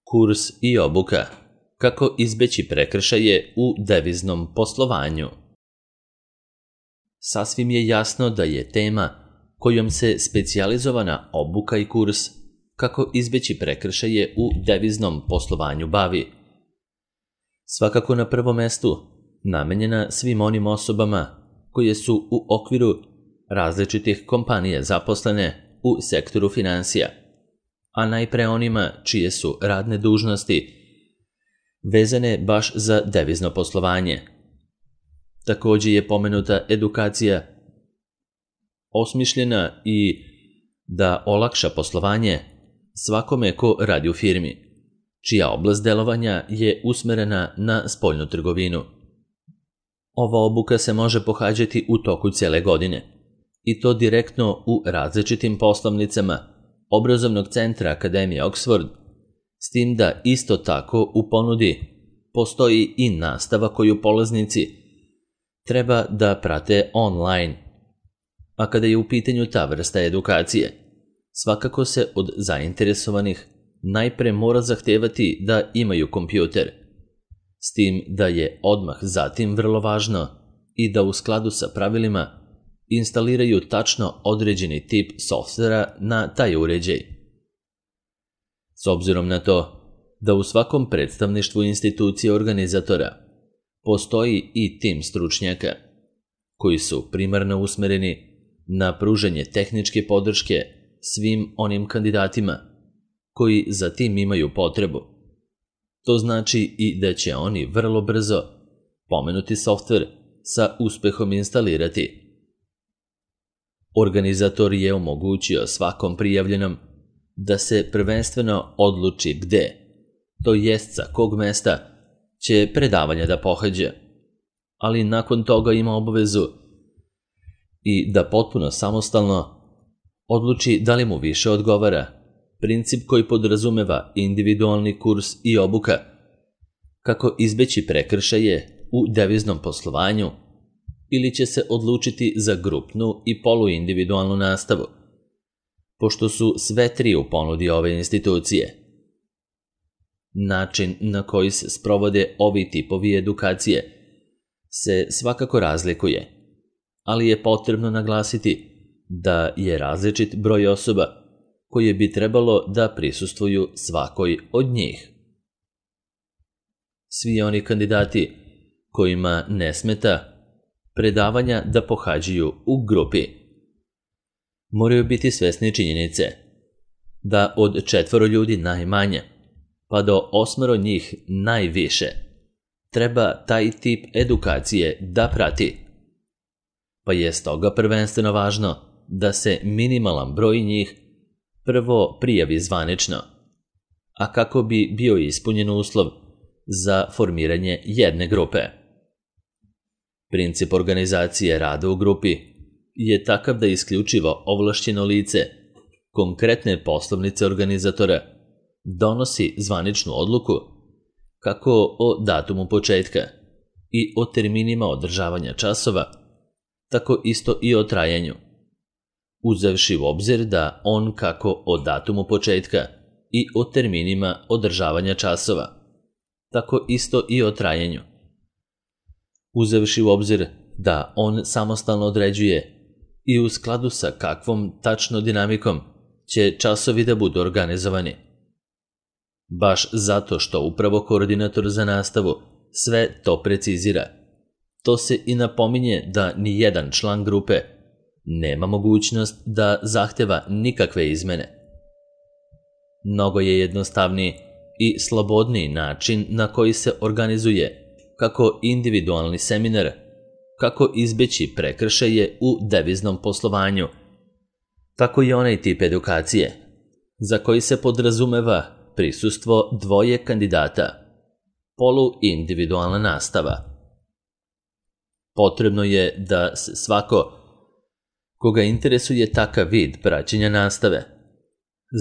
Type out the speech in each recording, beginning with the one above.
Kurs i obuka. Kako izbeći prekršaje u deviznom poslovanju. Sasvim je jasno da je tema kojom se specijalizovana obuka i kurs kako izbeći prekršaje u deviznom poslovanju bavi. Svakako na prvom mestu namenjena svim onim osobama koje su u okviru različitih kompanija zaposlene u sektoru finansija, a najpre onima čije su radne dužnosti vezane baš za devizno poslovanje. Također je pomenuta edukacija osmišljena i da olakša poslovanje svakome ko radi u firmi, čija oblast delovanja je usmerena na spoljnu trgovinu. Ova obuka se može pohađati u toku cijele godine, i to direktno u različitim poslovnicama Obrazovnog centra Akademije Oxford, s tim da isto tako u ponudi postoji i nastava koju polaznici treba da prate online. A kada je u pitanju ta vrsta edukacije, svakako se od zainteresovanih najpre mora zahtevati da imaju kompjuter, s tim da je odmah zatim vrlo važno i da u skladu sa pravilima instaliraju tačno određeni tip softvera na taj uređaj. S obzirom na to da u svakom predstavništvu institucije organizatora postoji i tim stručnjaka koji su primarno usmereni na pružanje tehničke podrške svim onim kandidatima koji za tim imaju potrebu. To znači i da će oni vrlo brzo pomenuti softver sa uspehom instalirati. Organizator je omogućio svakom prijavljenom da se prvenstveno odluči gde, to jest sa kog mesta će predavanja da pohađa, ali nakon toga ima obavezu i da potpuno samostalno odluči da li mu više odgovara princip koji podrazumeva individualni kurs i obuka, kako izbeći prekršaje u deviznom poslovanju, ili će se odlučiti za grupnu i poluindividualnu nastavu, pošto su sve tri u ponudi ove institucije. Način na koji se sprovode ovi tipovi edukacije se svakako razlikuje, ali je potrebno naglasiti da je različit broj osoba koje bi trebalo da prisustvuju svakoj od njih. Svi oni kandidati kojima ne smeta predavanja da pohađaju u grupi moraju biti svesni činjenice da od 4 ljudi najmanje pa do 8 njih najviše treba taj tip edukacije da prati, pa je stoga prvenstveno važno da se minimalan broj njih prvo prijavi zvanično, a kako bi bio ispunjen uslov za formiranje jedne grupe. Princip organizacije rada u grupi je takav da isključivo ovlašćeno lice konkretne poslovnice organizatora donosi zvaničnu odluku kako o datumu početka i o terminima održavanja časova, tako isto i o trajanju, uzevši u obzir da on kako o datumu početka i o terminima održavanja časova, tako isto i o trajanju, uzevši u obzir da on samostalno određuje i u skladu sa kakvom tačno dinamikom će časovi da budu organizovani. Baš zato što upravo koordinator za nastavu sve to precizira, to se i napominje da ni jedan član grupe nema mogućnost da zahteva nikakve izmene. Mnogo je jednostavniji i slobodniji način na koji se organizuje kako individualni seminar, kako izbeći prekršaje u deviznom poslovanju, tako i onaj tip edukacije za koji se podrazumeva prisustvo 2 kandidata, poluindividualna nastava. Potrebno je da se svako koga interesuje takav vid praćenja nastave,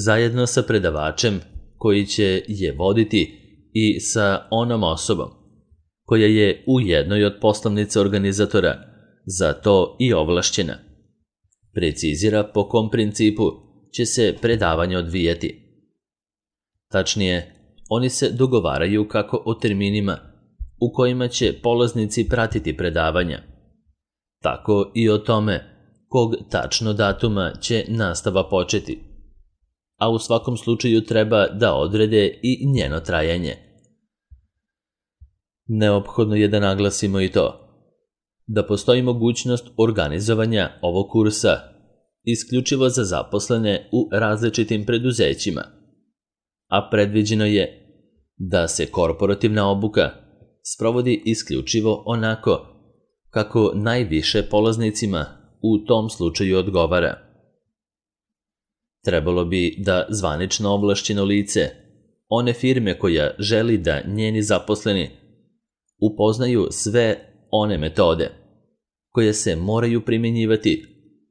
zajedno sa predavačem koji će je voditi i sa onom osobom koja je u jednoj od poslovnica organizatora za to i ovlašćena, precizira po kom principu će se predavanje odvijati. Tačnije, oni se dogovaraju kako o terminima u kojima će polaznici pratiti predavanja, tako i o tome kog tačno datuma će nastava početi, a u svakom slučaju treba da odrede i njeno trajanje. Neophodno je da naglasimo i to da postoji mogućnost organizovanja ovog kursa isključivo za zaposlene u različitim preduzećima, a predviđeno je da se korporativna obuka sprovodi isključivo onako kako najviše polaznicima u tom slučaju odgovara. Trebalo bi da zvanično ovlašćeno lice one firme koja želi da njeni zaposleni upoznaju sve one metode koje se moraju primjenjivati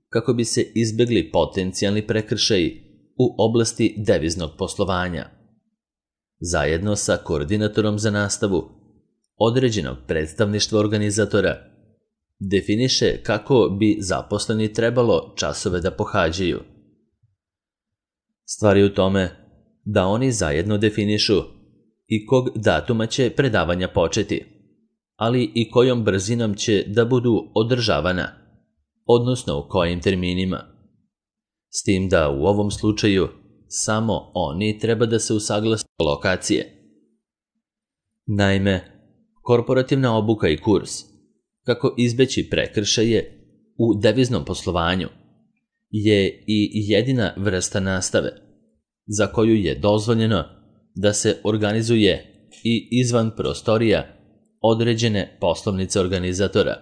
kako bi se izbegli potencijalni prekršaji u oblasti deviznog poslovanja. Zajedno sa koordinatorom za nastavu određenog predstavništva organizatora definiše kako bi zaposleni trebalo časove da pohađaju. Stvar je u tome da oni zajedno definišu i kog datuma će predavanja početi, ali i kojom brzinom će da budu održavana, odnosno u kojim terminima. S tim da u ovom slučaju samo oni treba da se usaglase lokacije. Naime, korporativna obuka i kurs kako izbeći prekršaje u deviznom poslovanju je i jedina vrsta nastave za koju je dozvoljeno da se organizuje i izvan prostorija određene poslovnice organizatora.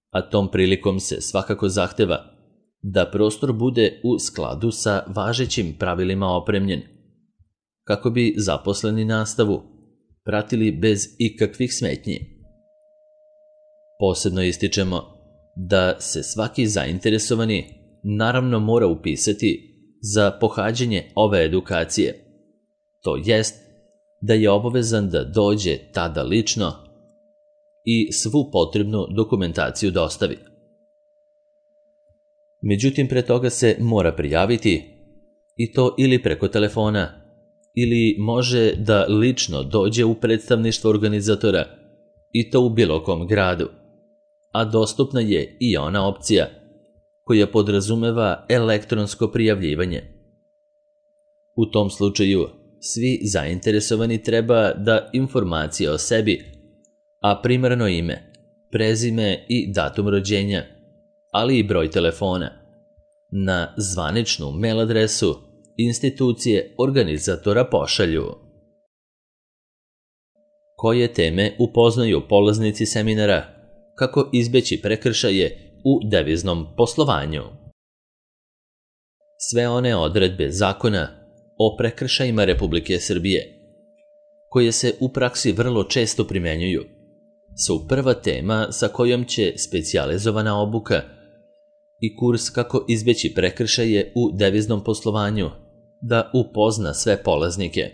A tom prilikom se svakako zahteva da prostor bude u skladu sa važećim pravilima opremljen, kako bi zaposleni nastavu pratili bez ikakvih smetnji. Posebno ističemo da se svaki zainteresovani naravno mora upisati za pohađanje ove edukacije, to jest da je obavezan da dođe tada lično i svu potrebnu dokumentaciju dostavi. Međutim, pre toga se mora prijaviti, i to ili preko telefona, ili može da lično dođe u predstavništvo organizatora, i to u bilo kom gradu, a dostupna je i ona opcija koja podrazumeva elektronsko prijavljivanje. U tom slučaju svi zainteresovani treba da informacije o sebi, a primarno ime, prezime i datum rođenja, ali i broj telefona, na zvaničnu mail adresu institucije organizatora pošalju. Koje teme upoznaju polaznici seminara kako izbeći prekršaje u deviznom poslovanju? Sve one odredbe zakona o prekršajima Republike Srbije, koje se u praksi vrlo često primenjuju, su prva tema sa kojom će specijalizovana obuka i kurs kako izbeći prekršaje u deviznom poslovanju da upozna sve polaznike.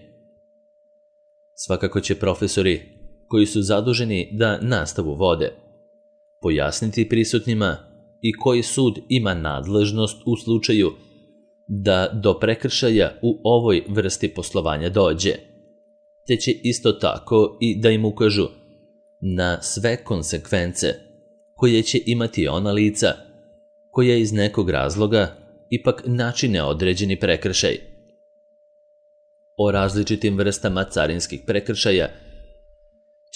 Svakako će profesori koji su zaduženi da nastavu vode pojasniti prisutnima i koji sud ima nadležnost u slučaju da do prekršaja u ovoj vrsti poslovanja dođe, te će isto tako i da im ukažu na sve konsekvence koje će imati ona lica koja iz nekog razloga ipak načine određeni prekršaj. O različitim vrstama carinskih prekršaja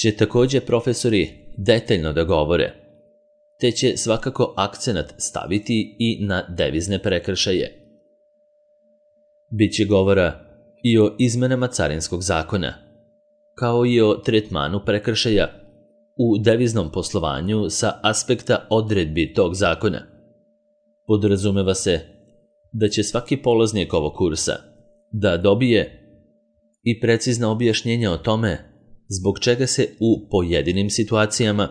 će takođe profesori detaljno da govore, te će svakako akcenat staviti i na devizne prekršaje. Biće govora i o izmenama carinskog zakona, kao i o tretmanu prekršaja u deviznom poslovanju sa aspekta odredbi tog zakona. Podrazumeva se da će svaki polaznik ovog kursa da dobije i precizna objašnjenja o tome zbog čega se u pojedinim situacijama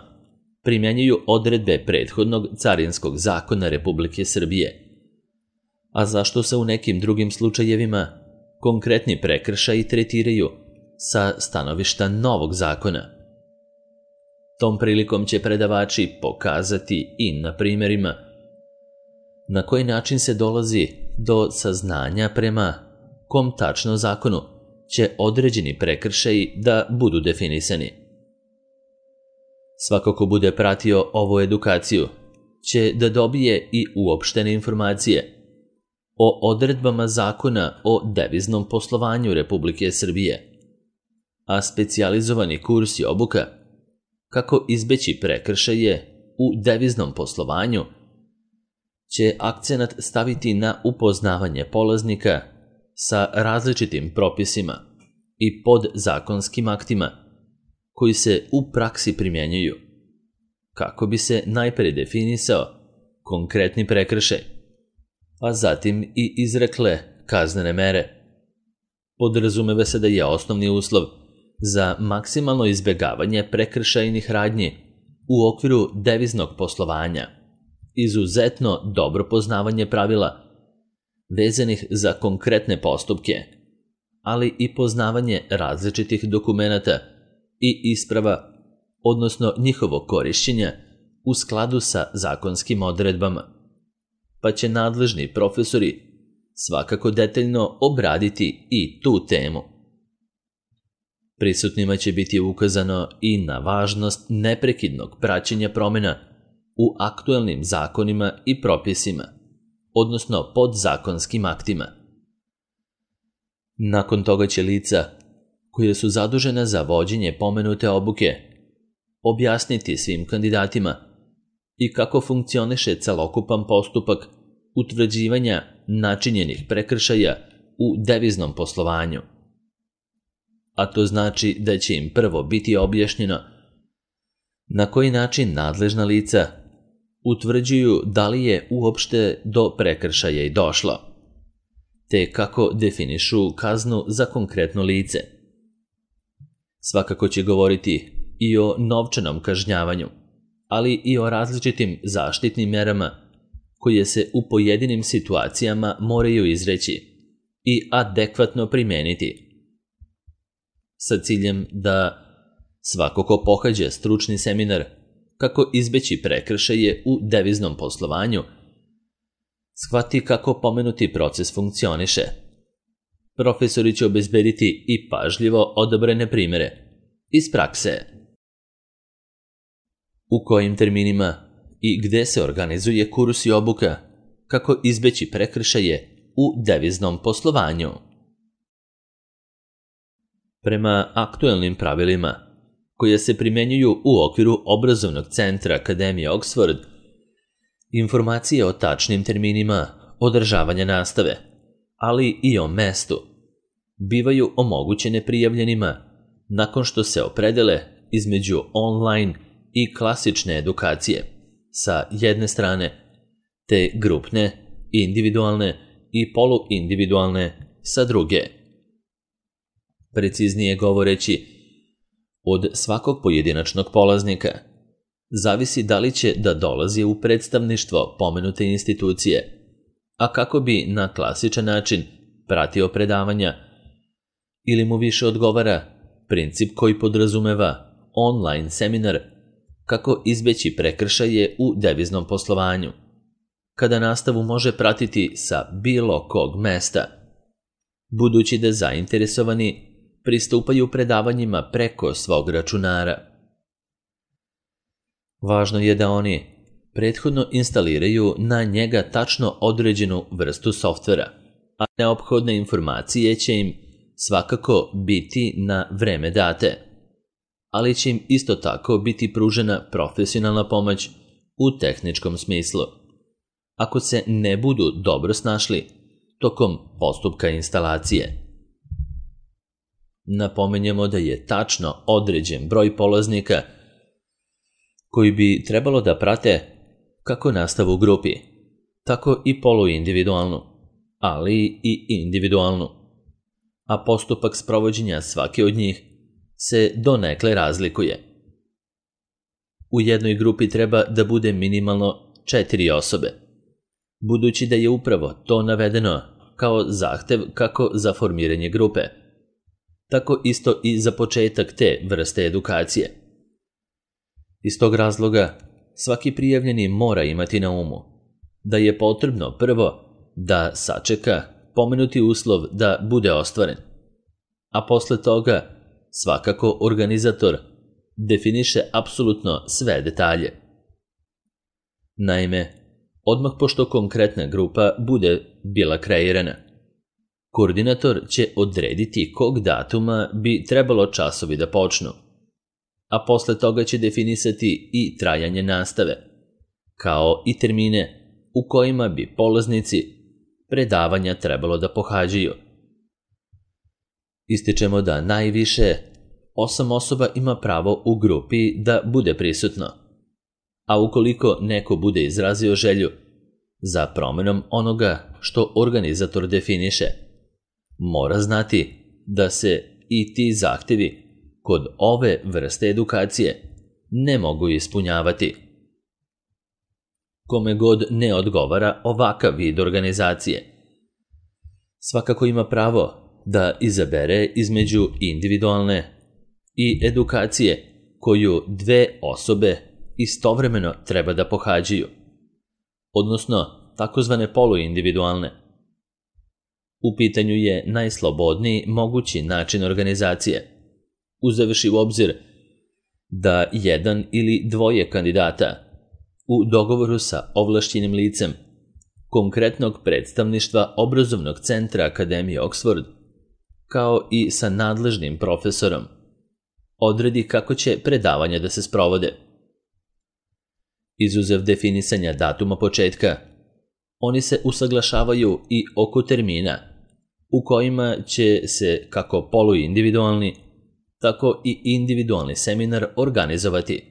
primjenjuju odredbe prethodnog carinskog zakona Republike Srbije, a zašto se u nekim drugim slučajevima konkretni prekršaji tretiraju sa stanovišta novog zakona. Tom prilikom će predavači pokazati i na primjerima na koji način se dolazi do saznanja prema kom tačno zakonu će određeni prekršaji da budu definisani. Svako ko bude pratio ovu edukaciju će da dobije i uopštene informacije o odredbama Zakona o deviznom poslovanju Republike Srbije, a specijalizovani kurs i obuka kako izbeći prekršaje u deviznom poslovanju će akcenat staviti na upoznavanje polaznika sa različitim propisima i podzakonskim aktima koji se u praksi primjenjuju, kako bi se najpre definisao konkretni prekršaj, a zatim i izrekle kaznene mere. Podrazumeva se da je osnovni uslov za maksimalno izbjegavanje prekršajnih radnji u okviru deviznog poslovanja izuzetno dobro poznavanje pravila vezanih za konkretne postupke, ali i poznavanje različitih dokumenata i isprava, odnosno njihovog korišćenja u skladu sa zakonskim odredbama, pa će nadležni profesori svakako detaljno obraditi i tu temu. Prisutnima će biti ukazano i na važnost neprekidnog praćenja promjena u aktuelnim zakonima i propisima, odnosno podzakonskim aktima. Nakon toga će lica koja su zadužena za vođenje pomenute obuke objasniti svim kandidatima i kako funkcioniše celokupan postupak utvrđivanja načinjenih prekršaja u deviznom poslovanju. A to znači da će im prvo biti objašnjeno na koji način nadležna lica utvrđuju da li je uopšte do prekršaja i došlo, te kako definišu kaznu za konkretno lice. Svakako će govoriti i o novčanom kažnjavanju, ali i o različitim zaštitnim merama koje se u pojedinim situacijama moraju izreći i adekvatno primeniti, sa ciljem da svako ko pohađa stručni seminar kako izbeći prekršaje u deviznom poslovanju shvati kako pomenuti proces funkcioniše. Profesori će obezbediti i pažljivo odabrane primere iz prakse. U kojim terminima i gde se organizuje kurs i obuka kako izbeći prekršaje u deviznom poslovanju. Prema aktuelnim pravilima koje se primjenjuju u okviru obrazovnog centra Akademije Oxford, informacije o tačnim terminima održavanja nastave, ali i o mestu, bivaju omogućene prijavljenima nakon što se opredele između online i klasične edukacije sa jedne strane, te grupne, individualne i poluindividualne sa druge. Preciznije govoreći, od svakog pojedinačnog polaznika zavisi da li će da dolazi u predstavništvo pomenute institucije, a kako bi na klasičan način pratio predavanja, ili mu više odgovara princip koji podrazumeva online seminar kako izbeći prekršaje u deviznom poslovanju, kada nastavu može pratiti sa bilo kog mesta, budući da zainteresovani pristupaju predavanjima preko svog računara. Važno je da oni prethodno instaliraju na njega tačno određenu vrstu softvera, a neophodne informacije će im svakako biti na vreme date, ali će im isto tako biti pružena profesionalna pomoć u tehničkom smislu, ako se ne budu dobro snašli tokom postupka instalacije. Napomenjemo da je tačno određen broj polaznika koji bi trebalo da prate kako nastavu u grupi, tako i poluindividualnu, ali i individualnu, a postupak sprovođenja svake od njih se donekle razlikuje. U jednoj grupi treba da bude minimalno 4 osobe, budući da je upravo to navedeno kao zahtev kako za formiranje grupe, tako isto i za početak te vrste edukacije. Iz tog razloga svaki prijavljeni mora imati na umu da je potrebno prvo da sačeka pomenuti uslov da bude ostvaren, a posle toga svakako organizator definiše apsolutno sve detalje. Naime, odmah pošto konkretna grupa bude bila kreirana, koordinator će odrediti kog datuma bi trebalo časovi da počnu, a posle toga će definisati i trajanje nastave, kao i termine u kojima bi polaznici predavanja trebalo da pohađaju. Ističemo da najviše 8 osoba ima pravo u grupi da bude prisutno, a ukoliko neko bude izrazio želju za promenom onoga što organizator definiše, mora znati da se i ti zahtevi kod ove vrste edukacije ne mogu ispunjavati. Kome god ne odgovara ovakav vid organizacije, svakako ima pravo da izabere između individualne i edukacije koju 2 osobe istovremeno treba da pohađaju, odnosno takozvane poluindividualne. U pitanju je najslobodniji mogući način organizacije, uzevši u obzir da 1 ili 2 kandidata u dogovoru sa ovlašćenim licem konkretnog predstavništva obrazovnog centra Akademije Oxford, kao i sa nadležnim profesorom, odredi kako će predavanja da se sprovode. Izuzev definisanja datuma početka, oni se usaglašavaju i oko termina u kojima će se kako poluindividualni, tako i individualni seminar organizovati,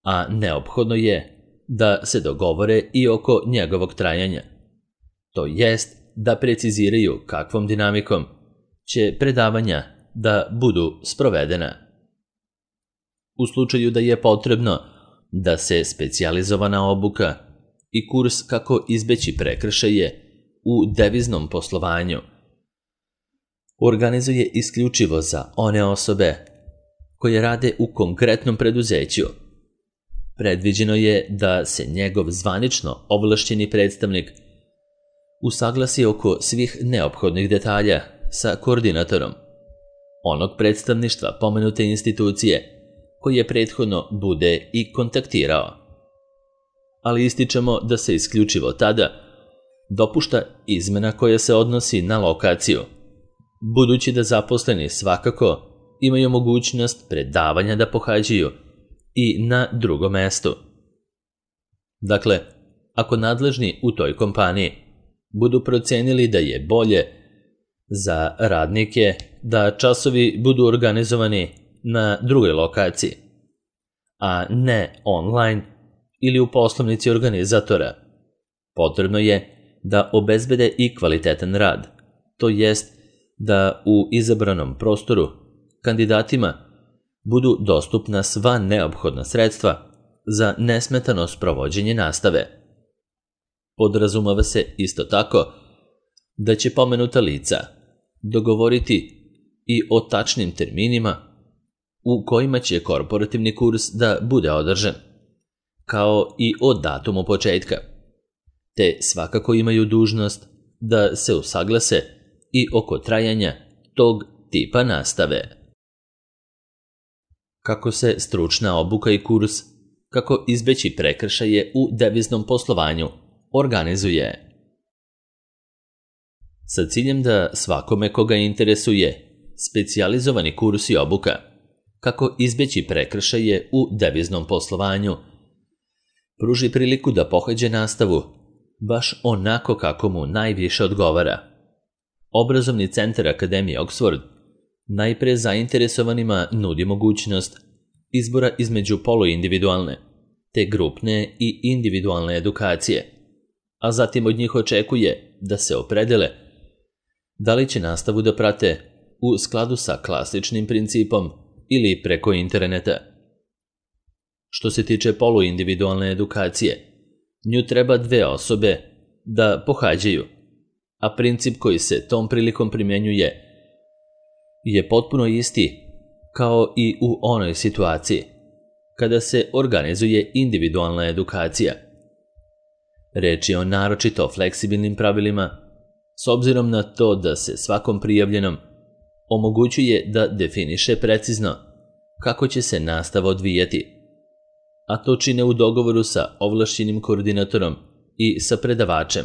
a neophodno je da se dogovore i oko njegovog trajanja, to jest da preciziraju kakvom dinamikom će predavanja da budu sprovedena. U slučaju da je potrebno da se specijalizovana obuka i kurs kako izbeći prekršaje u deviznom poslovanju organizuje isključivo za one osobe koje rade u konkretnom preduzeću, predviđeno je da se njegov zvanično ovlašćeni predstavnik usaglasi oko svih neophodnih detalja sa koordinatorom onog predstavništva pomenute institucije koje prethodno bude i kontaktirao. Ali ističemo da se isključivo tada dopušta izmena koja se odnosi na lokaciju, budući da zaposleni svakako imaju mogućnost predavanja da pohađaju i na drugom mestu. Dakle, ako nadležni u toj kompaniji budu procenili da je bolje za radnike da časovi budu organizovani na drugoj lokaciji, a ne online ili u poslovnici organizatora, potrebno je da obezbede i kvalitetan rad, to jest da u izabranom prostoru kandidatima budu dostupna sva neophodna sredstva za nesmetano sprovođenje nastave. Podrazumava se isto tako da će pomenuta lica dogovoriti i o tačnim terminima u kojima će korporativni kurs da bude održan, kao i o datumu početka, te svakako imaju dužnost da se usaglase i oko trajanja tog tipa nastave. Kako se stručna obuka i kurs kako izbeći prekršaje u deviznom poslovanju organizuje. Sa ciljem da svakome koga interesuje specijalizovani kurs i obuka kako izbeći prekršaje u deviznom poslovanju pruži priliku da pohađe nastavu baš onako kako mu najviše odgovara. Obrazovni centar Akademije Oxford najpre zainteresovanima nudi mogućnost izbora između poluindividualne te grupne i individualne edukacije, a zatim od njih očekuje da se opredele da li će nastavu da prate u skladu sa klasičnim principom ili preko interneta. Što se tiče poluindividualne edukacije, nju treba 2 osobe da pohađaju, a princip koji se tom prilikom primjenjuje je potpuno isti kao i u onoj situaciji kada se organizuje individualna edukacija. Reč je o naročito fleksibilnim pravilima, s obzirom na to da se svakom prijavljenom omogućuje da definiše precizno kako će se nastava odvijati, a to čine u dogovoru sa ovlašćenim koordinatorom i sa predavačem,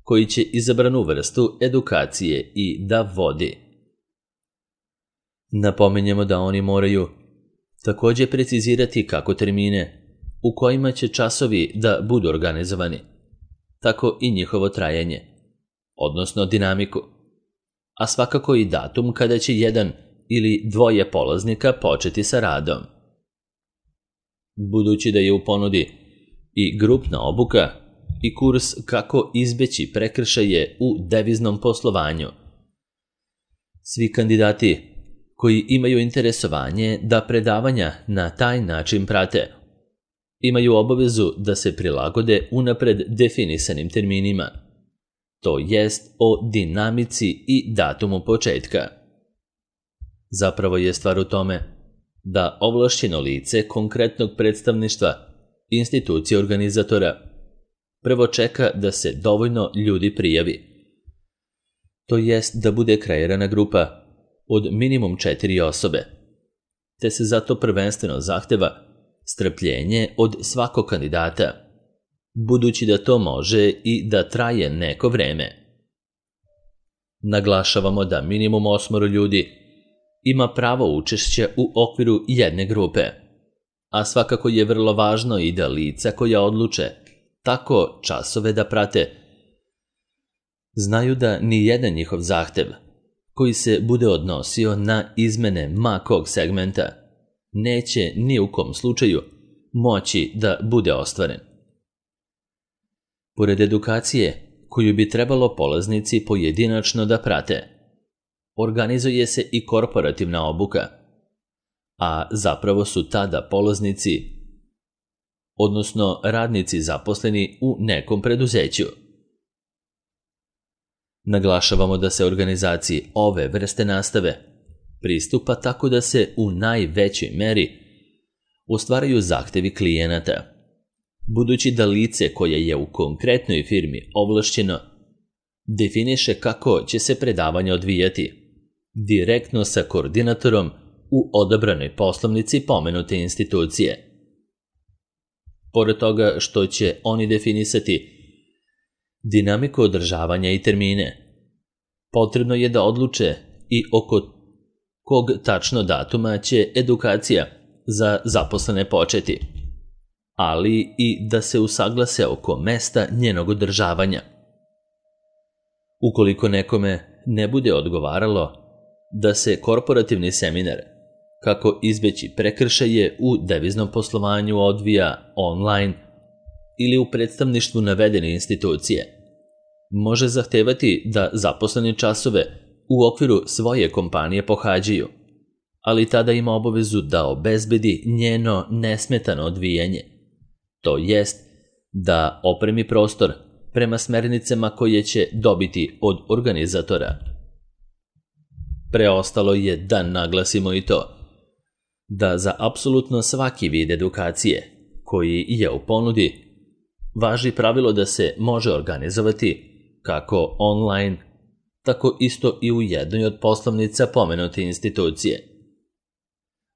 koji će izabranu vrstu edukacije i da vodi. Napominjemo da oni moraju također precizirati kako termine u kojima će časovi da budu organizovani, tako i njihovo trajanje, odnosno dinamiku, a svakako i datum kada će jedan ili dvoje polaznika početi sa radom. Budući da je u ponudi i grupna obuka i kurs kako izbeći prekršaje u deviznom poslovanju, svi kandidati koji imaju interesovanje da predavanja na taj način prate, imaju obavezu da se prilagode unapred definisanim terminima, to jest o dinamici i datumu početka. Zapravo je stvar u tome da ovlašćeno lice konkretnog predstavništva institucije organizatora prvo čeka da se dovoljno ljudi prijavi, to jest da bude kreirana grupa od minimum 4 osobe, te se zato prvenstveno zahteva strpljenje od svakog kandidata, budući da to može i da traje neko vreme. Naglašavamo da minimum 8 ljudi ima pravo učešća u okviru jedne grupe, a svakako je vrlo važno i da lica koja odluče tako časove da prate znaju da ni jedan njihov zahtev koji se bude odnosio na izmene ma kog segmenta neće ni u kom slučaju moći da bude ostvaren. Pored edukacije koju bi trebalo polaznici pojedinačno da prate, organizuje se i korporativna obuka, a zapravo su tada polaznici, odnosno radnici zaposleni u nekom preduzeću. Naglašavamo da se organizaciji ove vrste nastave pristupa tako da se u najvećoj meri ostvaraju zahtevi klijenata, budući da lice koje je u konkretnoj firmi ovlašćeno definiše kako će se predavanje odvijati direktno sa koordinatorom u odabranoj poslovnici pomenute institucije. Pored toga što će oni definisati dinamiku održavanja i termine, potrebno je da odluče i oko kog tačno datuma će edukacija za zaposlene početi, ali i da se usaglase oko mesta njenog održavanja. Ukoliko nekome ne bude odgovaralo da se korporativni seminar kako izbeći prekršaje u deviznom poslovanju odvija online ili u predstavništvu navedene institucije, može zahtevati da zaposleni časove u okviru svoje kompanije pohađaju, ali tada ima obavezu da obezbedi njeno nesmetano odvijanje, to jest da opremi prostor prema smernicama koje će dobiti od organizatora. Preostalo je da naglasimo i to da za apsolutno svaki vid edukacije koji je u ponudi važi pravilo da se može organizovati kako online, tako isto i u jednoj od poslovnica pomenute institucije.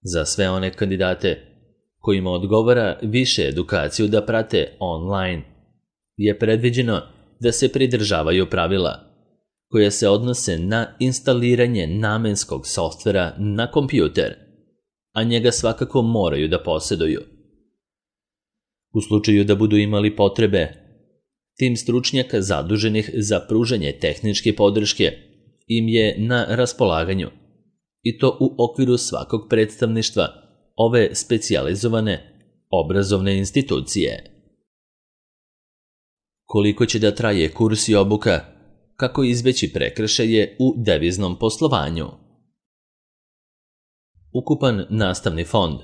Za sve one kandidate kojima odgovara više edukaciju da prate online, je predviđeno da se pridržavaju pravila koje se odnose na instaliranje namenskog softvera na kompjuter, a njega svakako moraju da posjeduju. U slučaju da budu imali potrebe, tim stručnjaka zaduženih za pružanje tehničke podrške im je na raspolaganju, i to u okviru svakog predstavništva ove specijalizovane obrazovne institucije. Koliko će da traje kurs i obuka, kako izbeći prekršaje u deviznom poslovanju? Ukupan nastavni fond,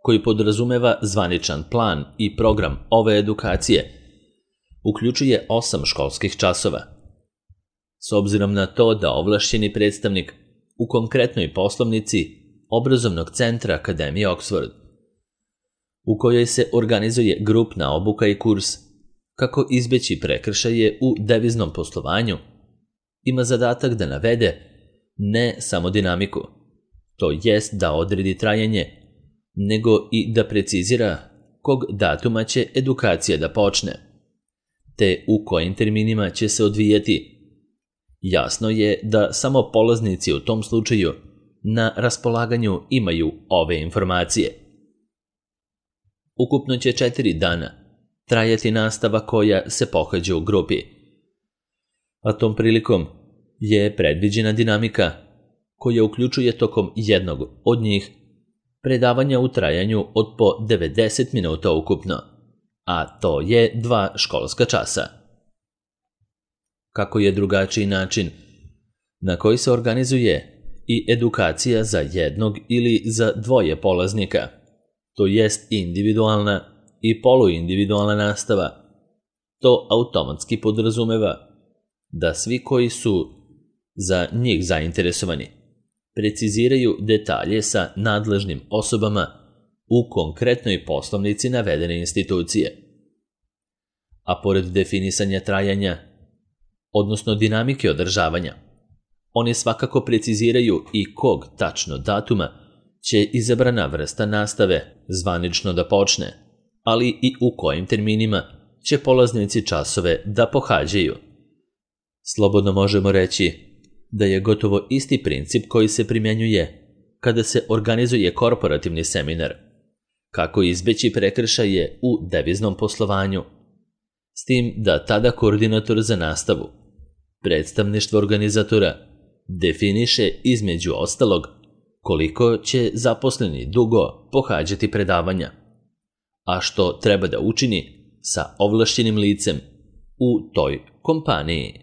koji podrazumeva zvaničan plan i program ove edukacije, uključuje 8 školskih časova. S obzirom na to da ovlašćeni predstavnik u konkretnoj poslovnici obrazovnog centra Akademije Oxford, u kojoj se organizuje grupna obuka i kurs kako izbeći prekršaje u deviznom poslovanju, ima zadatak da navede ne samo dinamiku, to jest da odredi trajanje, nego i da precizira kog datuma će edukacija da počne, te u kojim terminima će se odvijati. Jasno je da samo polaznici u tom slučaju na raspolaganju imaju ove informacije. Ukupno će 4 dana trajati nastava koja se pohađa u grupi, a tom prilikom je predviđena dinamika koja uključuje tokom jednog od njih predavanja u trajanju od po 90 minuta ukupno, a to je 2 školska časa. Kako je drugačiji način na koji se organizuje i edukacija za jednog ili za dvoje polaznika, to jest individualna i poluindividualna nastava, to automatski podrazumeva da svi koji su za njih zainteresovani preciziraju detalje sa nadležnim osobama u konkretnoj poslovnici navedene institucije. A pored definisanja trajanja, odnosno dinamike održavanja, oni svakako preciziraju i kog tačno datuma će izabrana vrsta nastave zvanično da počne, ali i u kojim terminima će polaznici časove da pohađaju. Slobodno možemo reći da je gotovo isti princip koji se primjenjuje kada se organizuje korporativni seminar, kako izbeći prekršaje u deviznom poslovanju, s tim da tada koordinator za nastavu, predstavništvo organizatora, definiše između ostalog koliko će zaposleni dugo pohađati predavanja, a što treba da učini sa ovlašćenim licem u toj kompaniji.